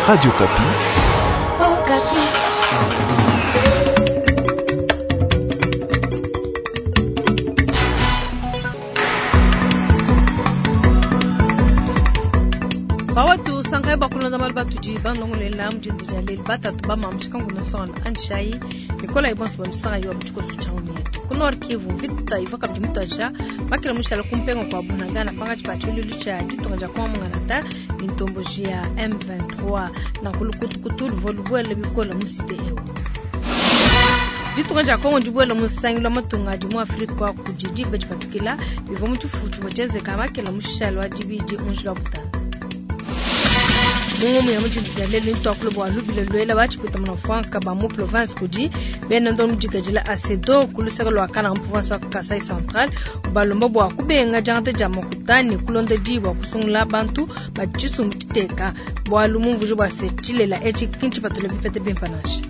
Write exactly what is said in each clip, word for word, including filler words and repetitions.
Radio Okapi. Oh, Bawatu sangai bakulonda malu batudi banlongolela mudindu dia lelu batatu bamamushika ngunu nsonga anishayi mikola ibonso bamisanga yo mutshikoso tshia mietu ku Nord Kivu mvita iva kabidi mutwaja makila mushala kumpenga kwa bunagana pangatshi pa tshiluilu tshia ditunga dia kuamungana ni ntomboji ya M vingt-trois na kulukutukutu luvua lubuele bikola mu cité ewu. Ditunga dia Kongo dibuele mu nsangilu wa matunga adi mu Afrika kudi diba dipatukila bivua mu tshifufu tshivua tshienzeka makila mushala wa dibidi mu njila wa butanda. Mungu ya mujindu ya lelo ntwa kulo bwa lubile lwela bachipita muna franka ba mu province kudi bena ndo mujikajila asedo kulusaka lwa kana mu province wa Kasai Central balomba bwa kubenga jangata ja makutani kulonda dibwa kusungula bantu ba tshisumbu titeka bwa lumumvujo bwa setilela echi kinchi patule bipete bimpa nashi.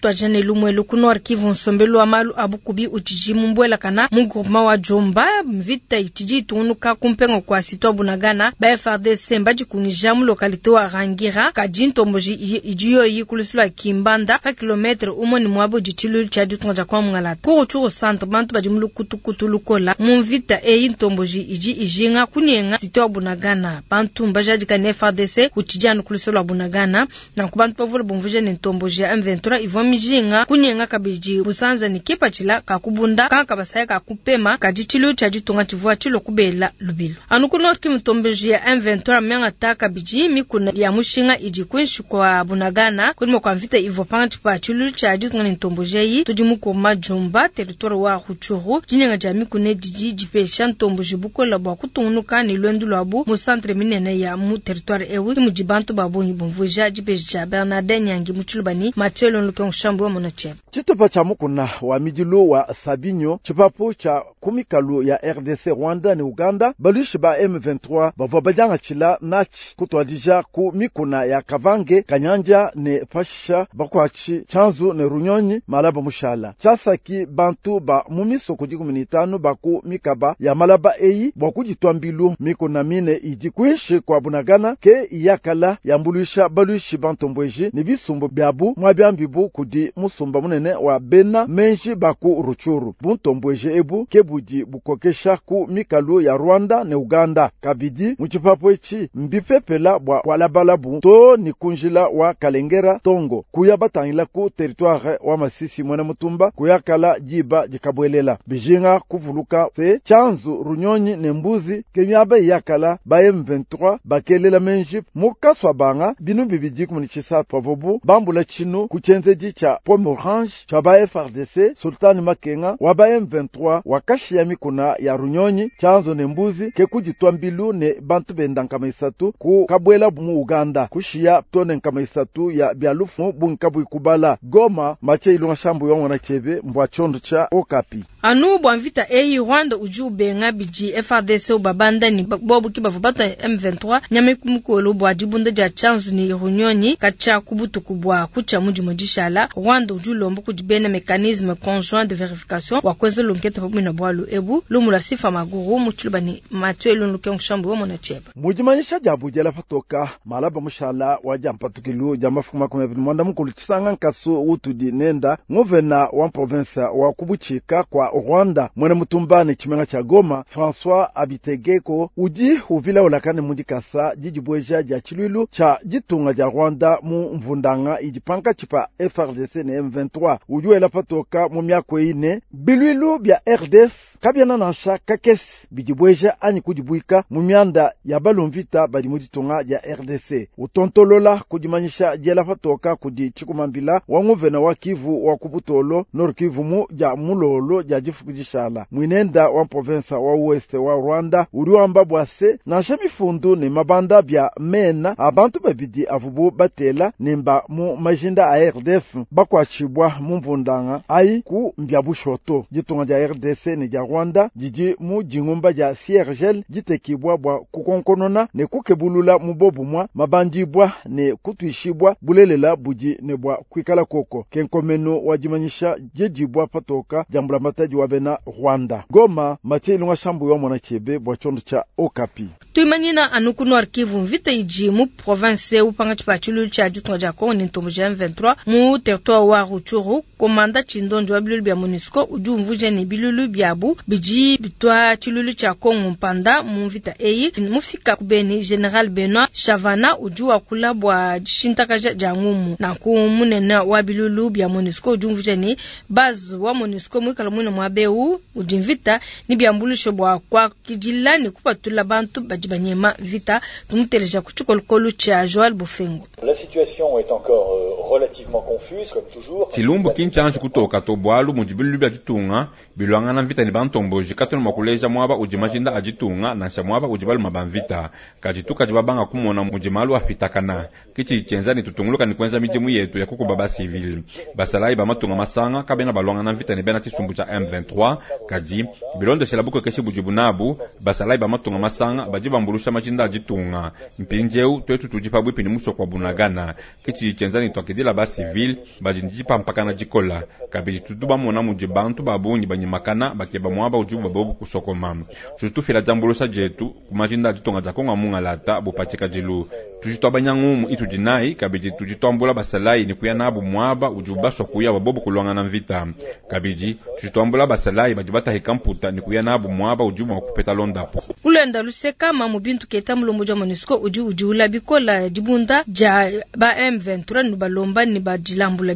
Twajane lumwelu ku Nord Kivu nsombelu wa malu abukubi utshidi mumbwela kana mu groupement wa Jomba mvita itshidi itungunuka kumpenga kwa sitwa Bunagana ba F R D C mbadikungija mu localité wa Rangira kadi ntomboji idi yoyi kulusu lwa Kimbanda pa kilometre umwe ni mwabo ditshilu tshia ditunga dia kwa Mungalata. Ku Rutshuru centre bantu badi mu lukutukutu lukola mu mvita eyi ntomboji idi ijinga kunyenga sitwa Bunagana bantu mbajadika ne F R D C utshidi anu kulusu lwa Bunagana na ku bantu bavule bumvuje ne ntomboji ya M vingt-trois ivua mijinga kunyenga kabidi busanza ni kipatshila kakubunda kanka basaya kakupema kadi tshilu tshia ditunga tshivua tshilo kubela lubilu. Anu ku Nord Kivu ntomboji ya M vingt-trois mianga ta kabidi mikuna ya mushinga idi kuinshi kwa Bunagana kulima kwa mvita ivua pangatshi pa tshilu tshia ditunga ne ntomboji eyi tudi mu koma Jomba territoire wa Rutshuru dinyenga dia mikuna didi dipesha ntomboji bukola bua kutungunuka ne lwendu lwabu mu centre minene ya mu territoire ewu mudi bantu ba bungi bumvuija dipesha dia Bernardin Nyangi mu Tshilubani Mathieu Lonluke Shambu wa Monachebe. Tshitupa tshia mukuna wa midilu wa Sabinyo tshipapu tshia kumikalu ya R D C Rwanda ne Uganda baluishi ba M vingt-trois bavua badiangatshila natshi kutwadija ku mikuna ya Kavange Kanyanja ne Pashisha bakwatshi Tshanzu ne Runyonyi malaba mushala tshiasaki bantu ba mu misoko dikumi ne itanu ba ku mikaba ya malaba eyi bua kuditwa mbilu mikuna mine idi kuinshi kwa Bunagana ke iyakala yambuluisha baluishi bantombweji ne bisumbu biabu mwabiambibu kudi musumba munene wa bena menji baku Rutshuru buntombweje ebu ke budi bukokesha ku mikalu ya Rwanda ne Uganda kabidi mu tshipapu etshi mbipepela bua kualabalabu to ni kunjila wa Kalengera Tongo kuya batangila ku territoire wa Masisi mwene mutumba kuyakala diba dikabwelela bijinga kuvuluka se Tshanzu Runyonyi ne Mbuzi ke miaba iyakala ba M vingt-trois bakelela menji mukaswa banga binu bibidi kumuni tshisatu pavobu bambula tshinu ku tshienzedi tshia Pomme Orange tshia ba F R D C Sultan Makenga wa ba M vingt-trois wakashiya mikuna ya Runyonyi Tshanzu ne Mbuzi ke kuditwa mbilu ne bantu benda nkama isatu ku kabwela mu Uganda kushiya tone nkama isatu ya bialufu bungi kubala Goma Mathieu Ilunga Shambu yongona chebe mbwa chondo cha Okapi. Anu bwa mvita eyi Rwanda uji ubenga bidi F R D C ubabanda ni bobu kibavu batu M vingt-trois nyame kumukolo bwa dibunda dia Tshanzu ne Runyonyi kacha kubutuku bwa kucha mudi modishala Rwanda uji ulomba kudi bena mécanisme conjoint de vérification wa kweza lunketa pamoja na bwalu ebu lumula sifa maguru muchiluba ni Mathieu Lunluke Nshambu wa mona cheba. Mujimanyisha dia bujela patoka malaba mushala wa jampatukilu ja mafuku makumi abiri mwanda mukulu tshisanga nkasu utudi nenda ngovena wa province wa kubuchika kwa Rwanda mwene mutumba ne tshimenga tsha Goma François Abitegeko udi uvila ulakane mudikasa didibweja dia tshiluilu tsha ditunga dia Rwanda mu mvundanga idi pankatshi pa F R D C ne M vingt-trois udi wela patoka mu miako ine biluilu bia R D F kabiana nansha kakesi bidibweja anyi kudibuika mu mianda ya balumvita badi mu ditunga dia R D C utontolola kudimanyisha diela patoka kudi tshikumambila wa nguvena wa Kivu wa kubutolo Nord Kivu mu dia mulolo dia difuku dishala mwinenda wa province wa Ouest wa Rwanda uri wamba bwase nansha mifundu ne mabanda bia mena abantu babidi avubu batela nemba mu majinda a R D F bantu bakuatshibua mu mvundanga ayi ku mbia bushoto. Ditunga dia R D C ne dia Rwanda didi mu dingumba dia C R G L ditekibwa bua kukonkonona ne kukebulula mu bobumwa mabandibwa ne kutuishibwa bulelela budi ne bua kuikala koko. Kenkomeno wa dimanyisha diedibwa patoka dia mbulamatadi wa bena Rwanda. Goma, Mathieu Ilunga Shambu wa mwana chebe bua chondo cha Okapi. Tuimanyina anu ku Nord Kivu mvita idi mu province upanga tshipatshilu tshia ditunga dia Congo ne ntombo ja M vingt-trois mu territoire wa Rutshuru. Komanda Tshindonjo wa bilulu bia MONUSCO udi umvuja ne bilulu biabu bidi bitwa tshilulu tshia Congo mpanda mu mvita eyi. Mufika ku Beni, General Benoit Chavana udi wakula bua dishintakaja dia ngumu. Nanku munene wa bilulu bia MONUSCO udi umvuja ne base wa MONUSCO muikala muine muabeu udi mvita ni biambulusho bua kuakidila ne kupatula bantu badi banyema vita. Tumuteleja ku tshikolokolo tshia Joël Bofengo. La situation est encore relativement confuse comme toujours. Tshilumbu kinchanji kutoka to bwalu mu dibilu bya ditunga bilwangana mvita ni bantomboji katona makuleja mwaba udi majinda aditunga nansha mwaba udi baluma ba mvita kajituka dibabanga kumona mudi malu afitakana kichi chenza ni tutunguluka ni kwenza midimu yetu ya kukuba ba civil basalayi ba matunga masanga kabena balwangana mvita ni bena tshisumbu cha M vingt-trois kadi bilondeshela bukokeshi bujibu nabu basalayi ba matunga masanga badi bambulusha majinda aditunga mpinjeu twetu tudi pabwipi ni musoko wa Bunagana kichi chenza ni twakidila ba civil badi ndipampakana dikola kabidi tudu bamona mudi bantu babungi banyimakana bakeba mwaba ujubu babobu kusokoma tutufila jambulusha jetu kumajinda aditunga ja Kongo mungalata bupatika jilu tujitwa banyangumu itudinai kabidi tujitwambula basalayi ni kuya nabu mwaba ujubu baswa kuya babobu kulwangana mvita kabidi tujitwambula basalayi badi batahika mputa ni kuya nabu mwaba ujubu wakupeta londapo kulenda luseka mamu bintu keta mulombo ja MONUSCO udi udiula bikola dibunda ja ba M vingt-trois ni balomba ni badilambula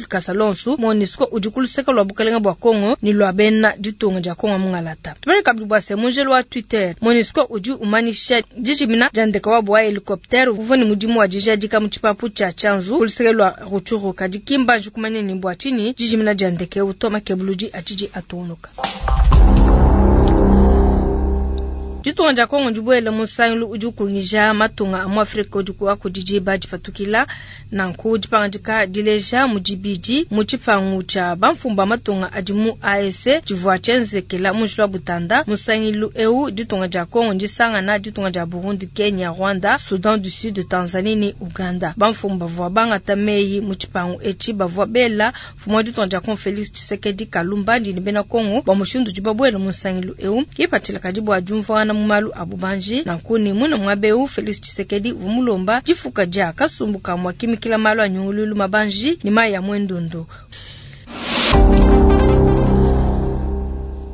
kasalonsu MONUSCO udi kuluseka lwa bukalenga bwa Kongo ni lwa bena ditunga ja Kongo mungalata tubale kabidi bwa se munjelo wa Twitter MONUSCO udi umanisha dijimina jandeka wa bwa helicopter uvua ni mudimu wa dijadika mu tshipapu tshia Tshanzu kuluseka lwa Rutshuru kadi kimba jukumanya ni bwa tshini dijimina jandeke utoma kebuludi atiji atunuka. Ditunga dia Kongo ndibuele musangilu udi ukungija matunga a mu Afrika udi kudidi badipatukila nanku dipangandika dileja mudibidi mu tshipangu tshia bamfumba matunga adi mu A E C tshivua tshienzekela mu njila wa Butanda. Musangilu eu ditunga dia Kongo ndisangana ditunga dia Burundi, Kenya, Rwanda, Sudan du Sud, Tanzanie ne Uganda. Bamfumba bavua bangata meyi mu tshipangu etshi bavua bela mfumu wa ditunga dia Kongo Felix Tshisekedi Kalumba ndi ne bena Kongo bua mushindu udi babuele musangilu eu kipatshila kadi bua diumvuangana mu malu a bubanji nankuni muna mwabeu Felix Tshisekedi vumulomba difuka dia kasumbu kamwa kimikila malu a nyungululu mabanji ni maya mwendundu.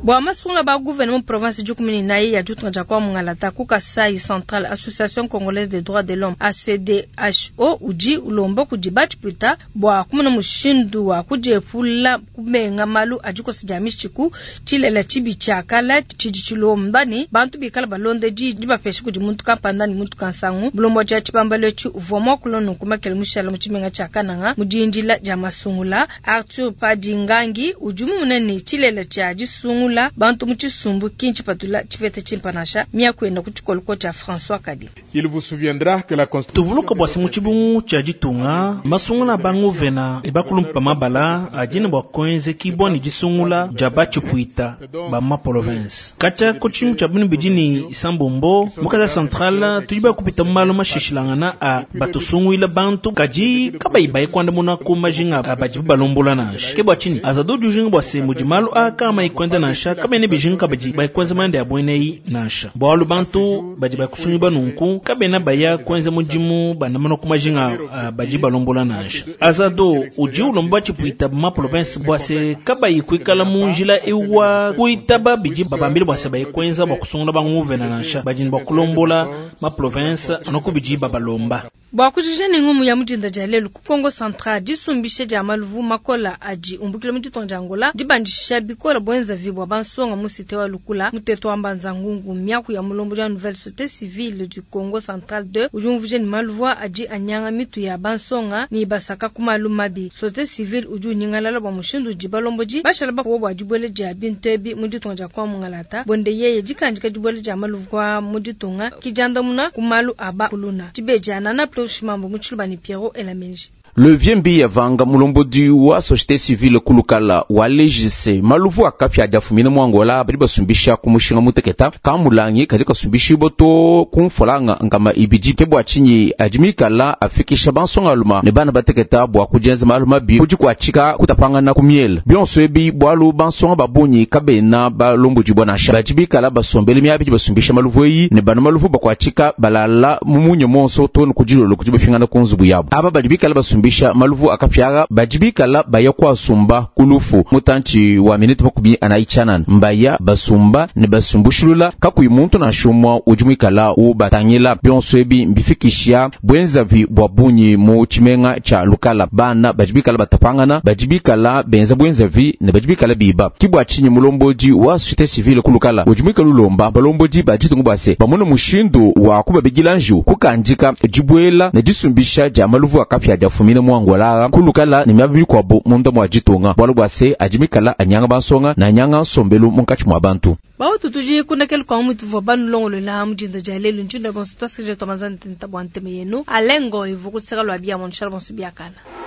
Bwa masunga ba gouvernement province du kumini naye ya ditunga dia kwa mungalata ku Kasai Central Association Congolaise des Droits de l'Homme A C D H O udi ulomba kudi batipita bwa kumuna mushindu wa kudiepula kumenga malu adikosa dia mishiku tshilela tshibi tshiakala tshidi tshilomba ni bantu bikala balonde di dibapesha kudi muntu kampanda ni muntu kansangu bulombo dia tshibambalo tshi uvua mua kulona kumakela mushala mu tshimenga tshia Kananga mu dindila dia masungula. Arthur Padingangi udi mumune tshilela tshia disungula bantu mu tshisumbu kinchi patula tshipete tshimpanasha miakwenda ku tshikoloko tshia François Kadi. Il vous souviendra que la construction tuvuluka bwa simu tshibungu tshia ditunga masungula bangu vena ebakulumpa mabala ajini bwa kwenze kibwa ni disungula dia batshipuita ba ma province katshia ku tshimu tshia binu bidi sambombo mukaza central tudi bakupita malu mashishilangana a batusunguila bantu kadi kabayibayi kwandamuna ku majinga abadi balombola nansha ke bwa tshini azado jujinga bwa simu di malu aka mayikwenda nansha kabene bijinga kabadi bayikwenza manda ya bweneyi nansha bwalu bantu badi bakusungi banunku kabena baya kwenza mudimu bandamana ku majinga badi balombola nansha azado udi ulomba tshipuita ma province bwase kabayi kuikala mu njila ewa kuitaba bidi babambile bwase bayikwenza bwa kusungula banguvena nansha badi bwa kulombola ma province anoku bidi babalomba. Bwa kujija ni ngumu ya mujinda dia lelu ku Kongo Central disumbishe dia maluvu makola adi umbukile mu ditunga dia Angola dibandisha bikola bwenza vibwa bansonga mu cité wa Lukula muteto wa Mbanza Ngungu miaku ya mulombo dia nouvelle société civile du Congo Central deux ujumvuje ni maluvu adi anyanga mitu ya bansonga ni basaka ku malu mabi. Société civile udi unyingalala bwa mushindu di balomboji bashala bakuwa bwa dibwele dia bintu ebi mu ditunga dia kwa mungalata bonde yeye dikandika dibwele dia maluvu kwa mu ditunga kijandamuna ku malu aba kuluna tibejana na Shimambo Muchilubani Pierrot Elamenji. Le Vieux Vanga mulombodi wa société civile ku Lukala walejise maluvu akapya ajafumina mu Angola badi basumbisha ku mushinga muteketa kamulangi kadi kasumbisha iboto kumfolanga nkama ibidi ke bua tshinyi adi mikala afikisha bansongaluma ne bana bateketa bua kujenza malu mabi kudi kuatshika kutapangana ku miele bionso ebi bualu bansonga babunyi kabena balombodi bua nansha badi bikala basombele miabi basumbisha maluvu eyi ne bana maluvu bakuatshika balala mumunye monso tonu kudilolo kudi bafingana ku nzubu yabo aba badi bikala basumbisha maluvu akapyara badi bikala baya kwasumba kulufu mutanchi wa minute makumi anayi tshianana mbaya basumba ne basumbushilula kakuyi muntu nansha umue udi muikala ubatangila bionso ebi mbifikisha bwenzavi bua bunyi mu tshimenga tshia Lukala bana badi bikala batapangana badi bikala benza bwenzavi ne badi bikala biba kibwa tshinyi mulombodi wa société civile ku Lukala udi muikala ulomba balombodi ba ditunga bua se bamone mushindu wa kubabigila nju kukandika dibwela ne disumbisha dia maluvu akapya diafumina mu Angola ku Lukala ne miaba mikuabu munda mua ditunga bualu bua se adi mikala anyanga bansonga na anyanga nsombelu munkatshi mua bantu. Bautu tuji kunakelu kwa mutu vwa banu longolola mujinda ja lelu njindo bonso twasije twamanzana tenta bwa nteme yenu alengo ivukuseka lwa bia mon bonso biakana.